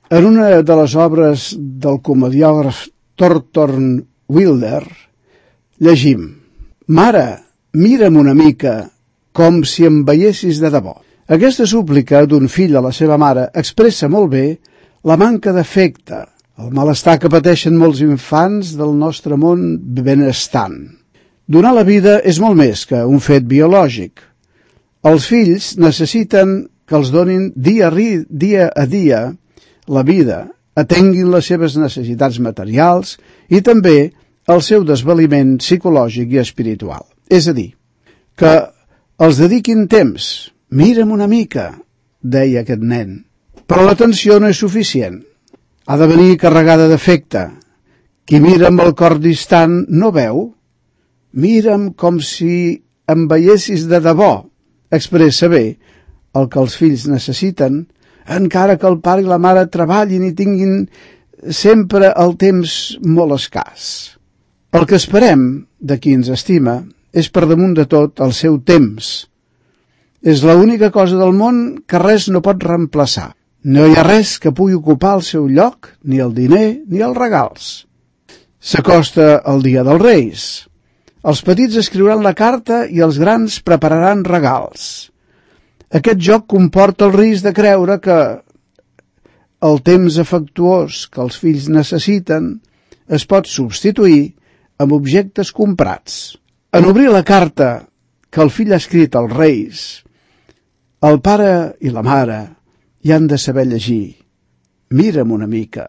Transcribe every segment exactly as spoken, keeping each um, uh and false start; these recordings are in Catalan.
En una de les obres del comediògraf Thornton Wilder llegim: «Mare, mira'm una mica, com si em veiessis de debò». Aquesta súplica d'un fill a la seva mare expressa molt bé la manca d'afecte, el malestar que pateixen molts infants del nostre món benestant. Donar la vida és molt més que un fet biològic. Els fills necessiten que els donin dia a dia, a dia la vida, atenguin les seves necessitats materials i també el seu desvaliment psicològic i espiritual. És a dir, que els dediquin temps. «Mira'm una mica», deia aquest nen. Però l'atenció no és suficient. Ha de venir carregada d'afecte. Qui mira amb el cor distant no veu. «Mira'm com si em veiessis de debò», expressa bé el que els fills necessiten, encara que el pare i la mare treballin i tinguin sempre el temps molt escàs. El que esperem de qui ens estima és per damunt de tot el seu temps. És l'única cosa del món que res no pot reemplaçar. No hi ha res que pugui ocupar el seu lloc, ni el diner ni els regals. S'acosta el dia dels Reis. Els petits escriuran la carta i els grans prepararan regals. Aquest joc comporta el risc de creure que el temps afectuós que els fills necessiten es pot substituir amb objectes comprats. En obrir la carta que el fill ha escrit als Reis, el pare i la mare hi han de saber llegir: «Mira'm una mica,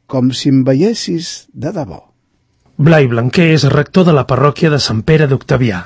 com si em veiessis de debò». Blai Blanquer és rector de la parròquia de Sant Pere d'Octavià.